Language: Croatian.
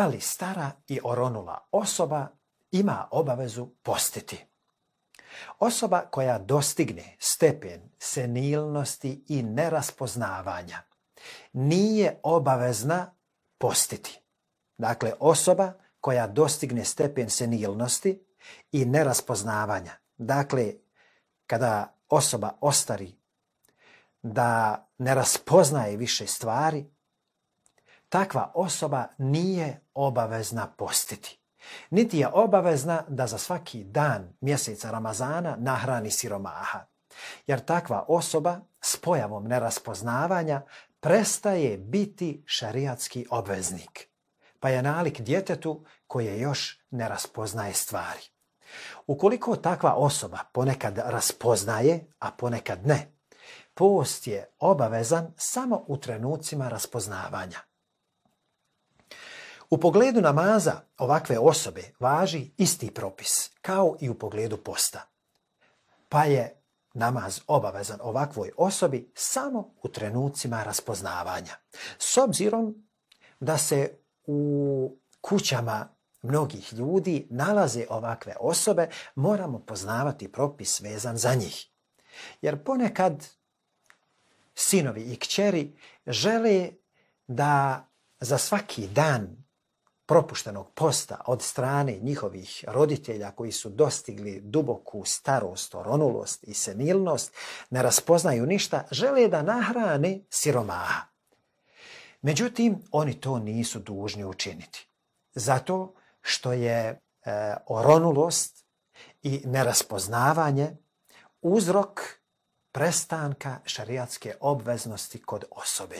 Ali stara i oronula osoba ima obavezu postiti. Osoba koja dostigne stepen senilnosti i neraspoznavanja nije obavezna postiti. Dakle, osoba koja dostigne stepen senilnosti i neraspoznavanja. Dakle, kada osoba ostari da ne raspoznaje više stvari, takva osoba nije obavezna postiti. Niti je obavezna da za svaki dan mjeseca Ramazana nahrani siromaha. Jer takva osoba s pojavom neraspoznavanja prestaje biti šerijatski obveznik. Pa je nalik djetetu koje još ne raspoznaje stvari. Ukoliko takva osoba ponekad raspoznaje, a ponekad ne, post je obavezan samo u trenucima raspoznavanja. U pogledu namaza ovakve osobe važi isti propis kao i u pogledu posta. Pa je namaz obavezan ovakvoj osobi samo u trenucima raspoznavanja. S obzirom da se u kućama mnogih ljudi nalaze ovakve osobe, moramo poznavati propis vezan za njih. Jer ponekad sinovi i kćeri žele da za svaki dan propuštenog posta od strane njihovih roditelja koji su dostigli duboku starost, oronulost i senilnost, ne raspoznaju ništa, žele da nahrane siromaha. Međutim, oni to nisu dužni učiniti. Zato što je oronulost i neraspoznavanje uzrok prestanka šerijatske obveznosti kod osobe.